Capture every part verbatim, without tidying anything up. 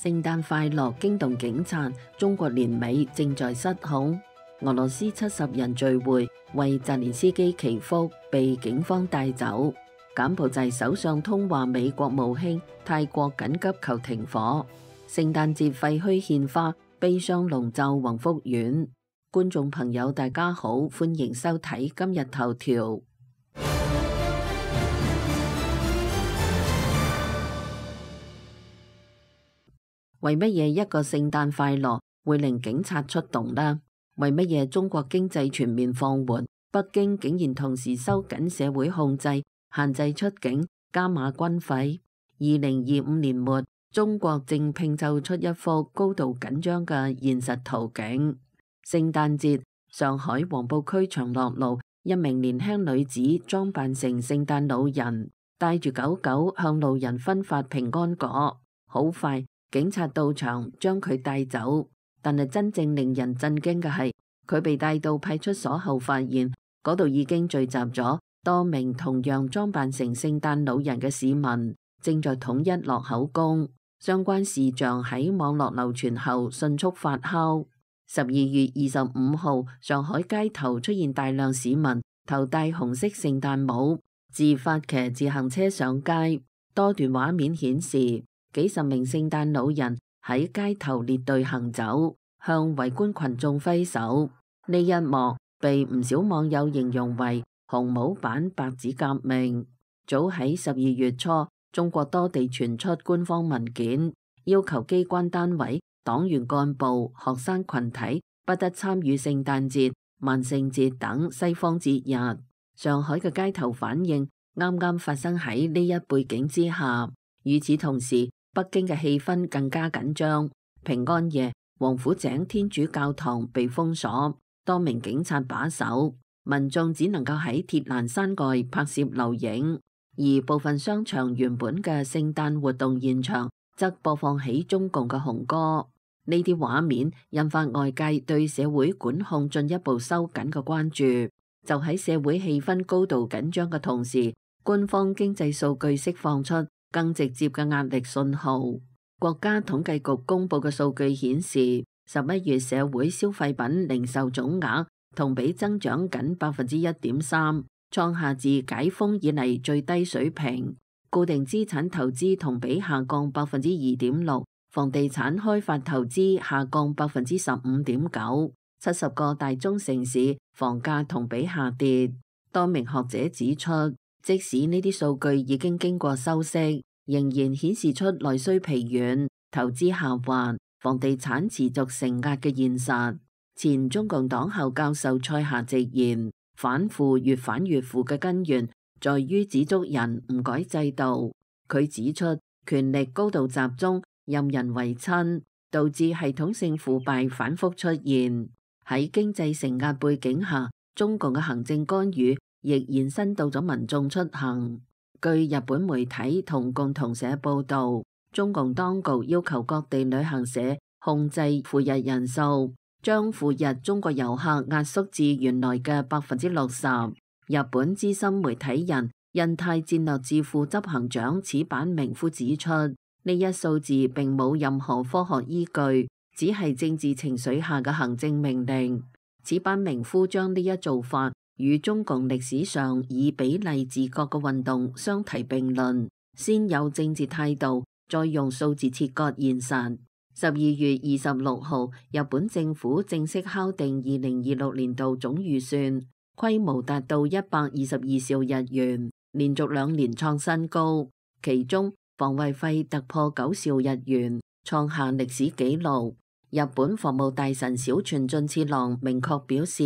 聖誕快樂驚動警察，中國年尾正在失控。俄羅斯七十人聚會為澤連斯基祈福，被警方帶走。柬埔寨首相通話美國務卿，泰國緊急求停火。聖誕節廢墟獻花，悲傷籠罩宏福苑。觀眾朋友大家好，歡迎收睇今日頭條。為乜嘢一個聖誕快樂會令警察出動呢？為乜嘢中國經濟全面放緩，北京竟然同時收緊社會控制，限制出境，加碼軍費？二零二五年末，中國正拼湊出一幅高度緊張嘅現實圖景。聖誕節，上海黃埔區長樂路，一名年輕女子裝扮成聖誕老人，帶住狗狗向路人分發平安果。好快，警察到場將佢帶走，但係真正令人震驚嘅係，佢被帶到派出所後，發現嗰度已經聚集咗多名同樣裝扮成聖誕老人嘅市民，正在統一落口供。相關事象喺網絡流傳後迅速發酵。十二月二十五號，上海街頭出現大量市民頭戴紅色聖誕帽，自發騎自行車上街。多段畫面顯示，幾十名聖誕老人喺街頭列隊行走，向圍觀群眾揮手。呢一幕被唔少網友形容為紅帽版白紙革命。早喺十二月初，中國多地傳出官方文件，要求機關單位、黨員幹部、學生群體不得參與聖誕節、萬聖節等西方節日。上海嘅街頭反應啱啱發生喺呢一背景之下。與此同時，北京嘅氣氛更加緊張。平安夜，王府井天主教堂被封鎖，多名警察把守，民眾只能夠喺鐵欄山外拍攝留影。而部分商場原本嘅聖誕活動現場則播放起中共嘅紅歌。呢啲畫面引發外界對社會管控進一步收緊嘅關注。就喺社會氣氛高度緊張嘅同時，官方經濟數據釋放出更直接嘅壓力信號。國家統計局公布嘅數據顯示，十一月社會消費品零售總額同比增長僅百分之一點三，創下自解封以嚟最低水平。固定資產投資同比下降百分之二點六，房地產開發投資下降百分之十五點九。七十個大中城市房價同比下跌。多名學者指出，即使呢啲數據已經經過修飾，仍然顯示出內需疲軟、投資下滑、房地產持續承壓嘅現實。前中共黨校教授蔡霞直言，反腐越反越腐嘅根源在於指足人唔改制度。佢指出，權力高度集中，任人唯親，導致系統性腐敗反覆出現。喺經濟承壓背景下，中共嘅行政干預亦延伸到咗民眾出行。據日本媒體同共同社報道，中共當局要求各地旅行社控制赴日人數，將赴日中國遊客壓縮至原來嘅百分之六十。日本資深媒體人印太戰略智庫執行長矢板明夫指出，呢一數字並冇任何科學依據，只係政治情緒下嘅行政命令。矢板明夫將呢一做法與中共歷史上以比例治國嘅運動相提並論，先有政治態度，再用數字切割現實。十二月二十六號，日本政府正式敲定二零二六年度總預算，規模達到一百二十二兆日元，連續兩年創新高。其中防衛費突破九兆日元，創下歷史紀錄。日本防務大臣小泉進次郎明確表示，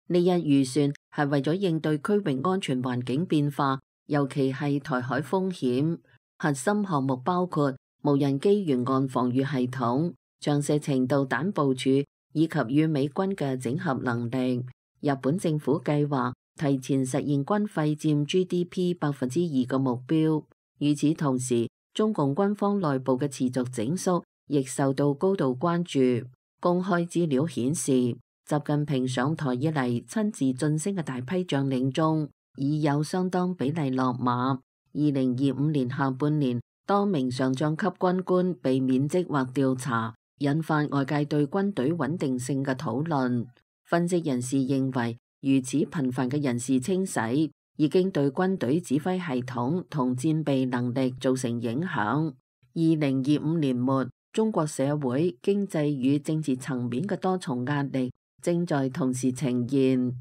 呢一預算係為咗應對區域安全環境變化，尤其係台海風險。核心項目包括無人機沿岸防禦系統、長射程導彈部署以及與美軍嘅整合能力。日本政府計劃提前實現軍費佔 G D P 百分之二嘅目標。與此同時，中共軍方內部嘅持續整肅亦受到高度關注。公開資料顯示，習近平上台以嚟親自晉升嘅大批將領中，已有相當比例落馬。二零二五年下半年，多名上將級軍官被免職或調查，引發外界對軍隊穩定性嘅討論。分析人士認為，如此頻繁嘅人事清洗已經對軍隊指揮系統同戰備能力造成影響。二零二五年末，中國社會、經濟與政治層面嘅多重壓力正在同時呈現。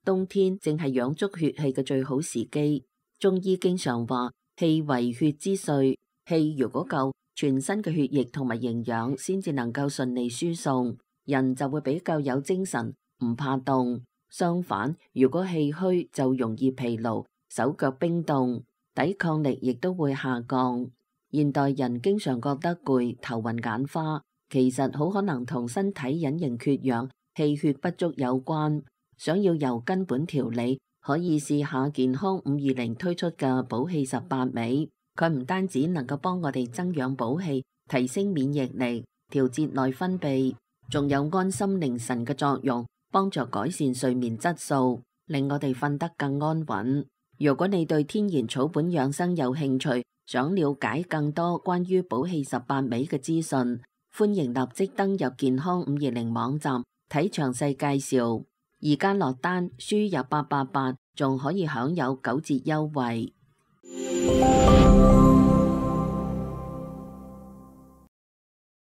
冬天正係養足血氣嘅最好時機。中醫經常話，氣為血之髓，氣如果夠，全身嘅血液同埋營養先至能夠順利輸送，人就會比較有精神，唔怕凍。相反，如果氣虛就容易疲勞，手腳冰凍，抵抗力亦都會下降。現代人經常覺得攰、頭暈眼花，其實好可能同身體隱形缺氧、氣血不足有關。想要由根本調理，可以試下健康五二零推出嘅補氣十八味。佢唔單止能夠幫我哋增養補氣、提升免疫力、調節內分泌，仲有安心寧神嘅作用，幫助改善睡眠質素，令我哋瞓得更安穩。如果你對天然草本養生有興趣，想了解更多關於補氣十八味嘅資訊，歡迎立即登入健康五二零網站睇詳細介紹。而家落單輸入八八八，仲可以享有九折優惠。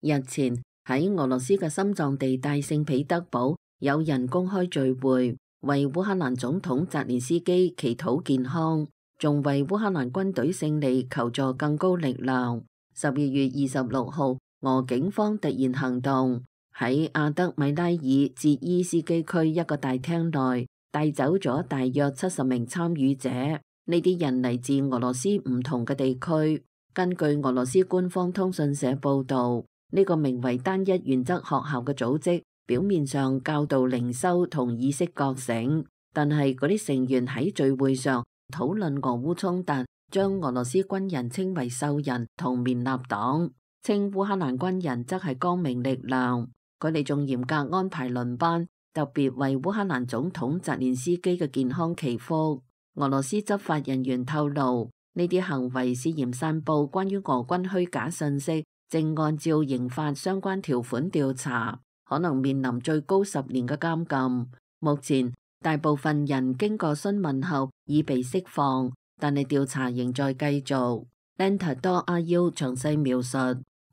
日前喺俄羅斯嘅心臟地帶聖彼得堡，有人公開聚會，為烏克蘭總統澤連斯基祈禱健康，仲為烏克蘭軍隊勝利求助更高力量。十二月二十六號，俄警方突然行動，喺阿德米拉爾捷伊斯基區一個大廳內帶走咗大約七十名參與者。呢啲人嚟自俄羅斯唔同嘅地區。根據俄羅斯官方通訊社報導，呢個名為單一原則學校嘅組織，表面上教導靈修同意識覺醒，但係嗰啲成員喺聚會上討論俄烏衝突，將俄羅斯軍人稱為獸人同綿納黨，稱烏克蘭軍人則係光明力量。佢哋仲嚴格安排輪班，特別為烏克蘭總統澤連斯基嘅健康祈福。俄羅斯執法人員透露，呢啲行為涉嫌散佈關於俄軍虛假信息，正按照刑法相關條款調查，可能面臨最高十年嘅監禁。目前大部分人經過詢問後已被釋放，但係調查仍在繼續。Lentador阿 U 詳細描述，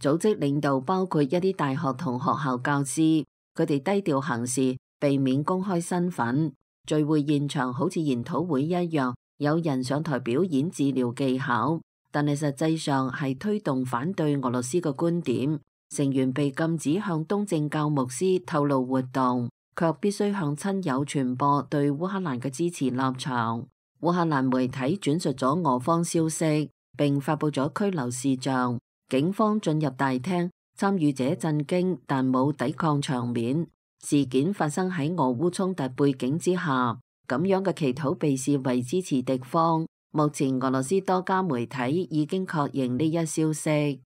組織領導包括一啲大學同學校教師，佢哋低調行事，避免公開身份。聚會現場好似研討會一樣，有人上台表演治療技巧，但係實際上係推動反對俄羅斯嘅觀點。成員被禁止向東正教牧師透露活動，卻必須向親友傳播對烏克蘭嘅支持立場。烏克蘭媒體轉述咗俄方消息，並發佈咗拘留事項。警方進入大廳，參與者震驚，但冇抵抗場面。事件發生喺俄烏衝突背景之下，咁樣嘅祈禱被視為支持敵方。目前俄羅斯多家媒體已經確認呢一消息。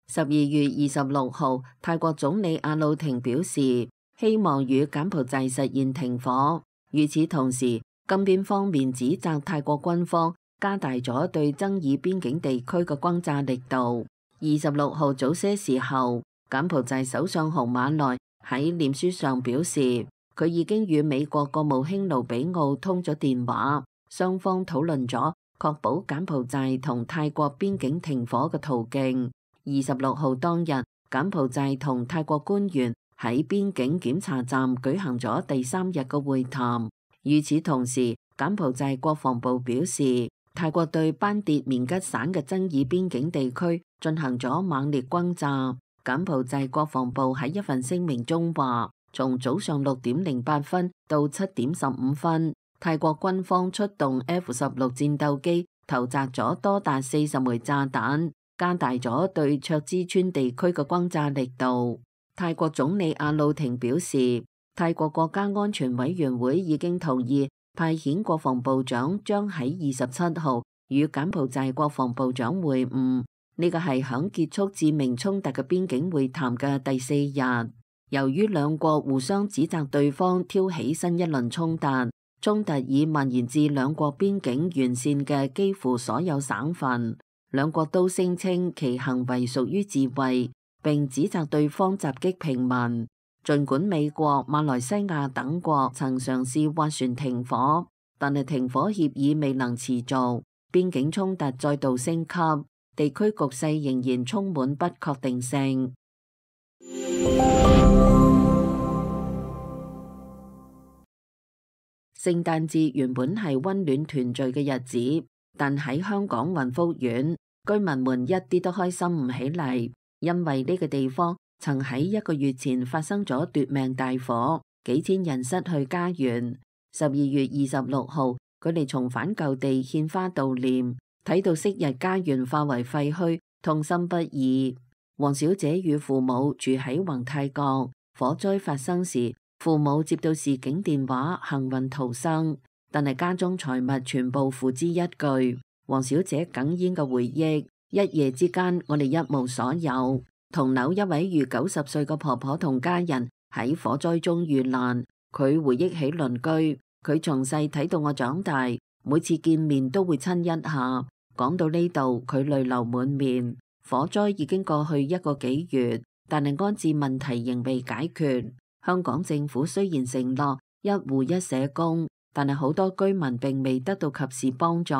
十二月二十六號，泰國總理阿魯廷表示，希望與柬埔寨實現停火。與此同時，金邊方面指責泰國軍方加大咗對爭議邊境地區嘅轟炸力度。二十六號早些時候，柬埔寨首相洪馬內喺臉書上表示，佢已經與美國國務卿盧比奧通咗電話，雙方討論咗確保柬埔寨同泰國邊境停火嘅途徑。二十六號當日，柬埔寨同泰國官員喺邊境檢查站舉行咗第三日嘅會談。與此同時，柬埔寨國防部表示，泰國對班迭棉吉省嘅爭議邊境地區進行咗猛烈轟炸。柬埔寨國防部喺一份聲明中話，從早上六點零八分到七點十五分，泰國軍方出動 F 十六戰鬥機，投擲咗多達四十枚炸彈，加大咗對卓支村地區嘅轟炸力度。泰國總理阿魯廷表示，泰國國家安全委員會已經同意派遣國防部長將喺二十七號與柬埔寨國防部長會晤。呢個係響結束致命衝突嘅邊境會談嘅第四日。由於兩國互相指責對方挑起新一輪衝突，衝突已蔓延至兩國邊境沿線嘅幾乎所有省份，兩國都聲稱其行為屬於自衛，並指責對方襲擊平民。儘管美國、馬來西亞等國曾嘗試斡旋停火，但係停火協議未能持續，邊境衝突再度升級，地區局勢仍然充滿不確定性。聖誕節原本係溫暖團聚嘅日子，但喺香港雲福苑，居民們一啲都開心唔起嚟，因為呢個地方曾喺一個月前發生咗奪命大火，幾千人失去家園。十二月二十六號，佢哋重返舊地獻花悼念，睇到昔日家園化為廢墟，痛心不已。黃小姐與父母住喺宏泰閣，火災發生時，父母接到示警電話，幸運逃生，但係家中財物全部付之一炬。黃小姐哽咽嘅回憶：一夜之間，我哋一無所有。同樓一位逾九十歲嘅婆婆同家人喺火災中遇難。佢回憶起鄰居，佢從細睇到我長大，每次見面都會親一下。講到呢度，佢淚流滿面。火災已經過去一個幾月，但係安置問題仍未解決。香港政府雖然承諾一戶一社工，但係好多居民並未得到及時幫助。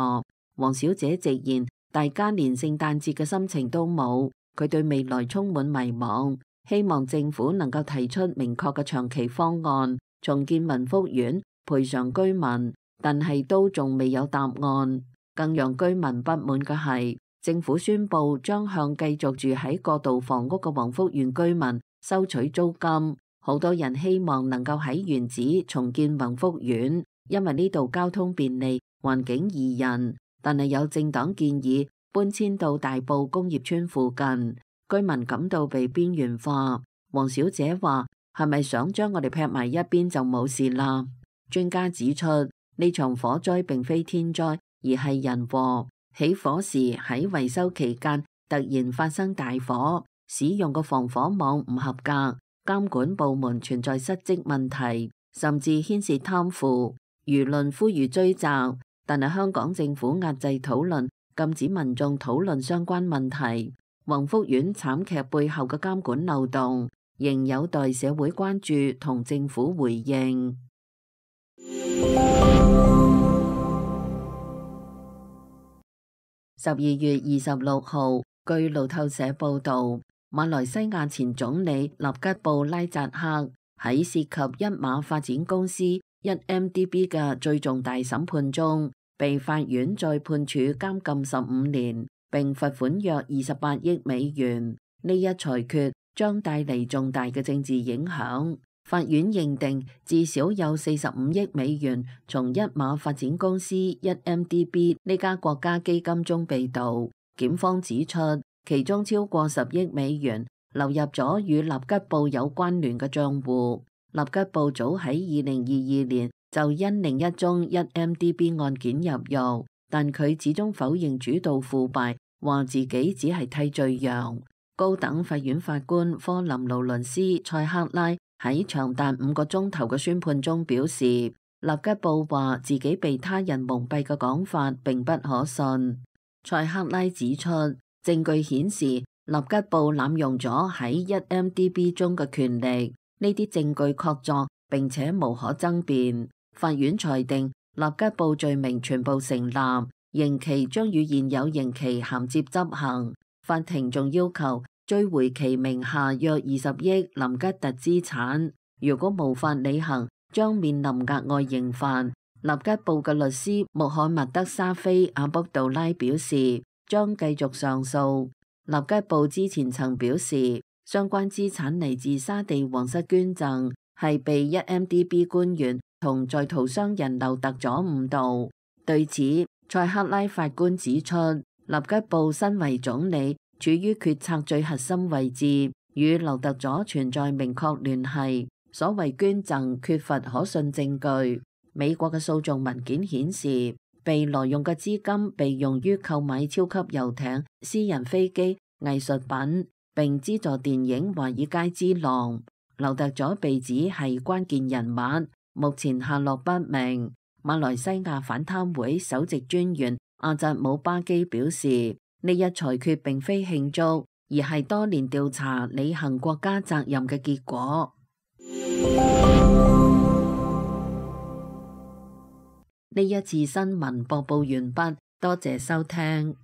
黃小姐直言，大家連聖誕節嘅心情都冇，佢對未來充滿迷茫，希望政府能夠提出明確嘅長期方案，重建雲福苑，賠償居民，但係都仲未有答案。更讓居民不滿嘅係，政府宣布將向繼續住喺過渡房屋嘅黃福苑居民收取租金。好多人希望能夠喺原址重建宏福苑，因為呢度交通便利，環境宜人。但係有政黨建議搬遷到大埔工業村附近，居民感到被邊緣化。黃小姐話：係咪想將我哋劈埋一邊就冇事啦？專家指出，呢場火災並非天災，而係人禍。起火時喺維修期間突然發生大火，使用嘅防火網唔合格。監管部門存在失職問題，甚至牽涉貪腐，輿論呼籲追責，但係香港政府壓制討論，禁止民眾討論相關問題。宏福苑慘劇背後嘅監管漏洞，仍有待社會關注同政府回應。十二月二十六號，據路透社報導，馬來西亞前總理納吉布拉扎克喺涉及一馬發展公司一 M D B 嘅最重大審判中，被法院再判處監禁十五年，並罰款約二十八億美元。呢一裁決將帶嚟重大嘅政治影響。法院認定至少有四十五億美元從一馬發展公司一 M D B 呢家國家基金中被盜。檢方指出，其中超過十億美元流入咗與納吉布有關聯嘅賬戶。納吉布早喺二零二二年就因另一宗一 M D B 案件入獄，但佢始終否認主導腐敗，話自己只係替罪羊。高等法院法官科林勞倫斯塞克拉喺長達五個鐘頭嘅宣判中表示，納吉布話自己被他人蒙蔽嘅講法並不可信。塞克拉指出，證據顯示納吉布濫用咗喺一 M D B 中嘅權力，呢啲證據確鑿並且無可爭辯。法院裁定納吉布罪名全部成立，刑期將與現有刑期銜接執行。法庭仲要求追回其名下約二十億林吉特資產，如果無法履行，將面臨額外刑罰。納吉布嘅律師穆罕默德沙菲阿卜杜拉表示，將繼續上訴。納吉布之前曾表示，相關資產嚟自沙地皇室捐贈，係被一 M D B 官員同在逃商人劉特佐誤導。對此，塞克拉法官指出，納吉布身為總理，處於決策最核心位置，與劉特佐存在明確聯繫。所謂捐贈缺乏可信證據。美國嘅訴訟文件顯示，被挪用嘅資金被用於購買超級遊艇、私人飛機、藝術品，並資助電影《華爾街之狼》。劉特佐被指係關鍵人物，目前下落不明。馬來西亞反貪會首席專員阿扎姆巴基表示，呢一裁決並非慶祝，而係多年調查履行國家責任嘅結果。呢一次新聞播報完畢，多謝收聽。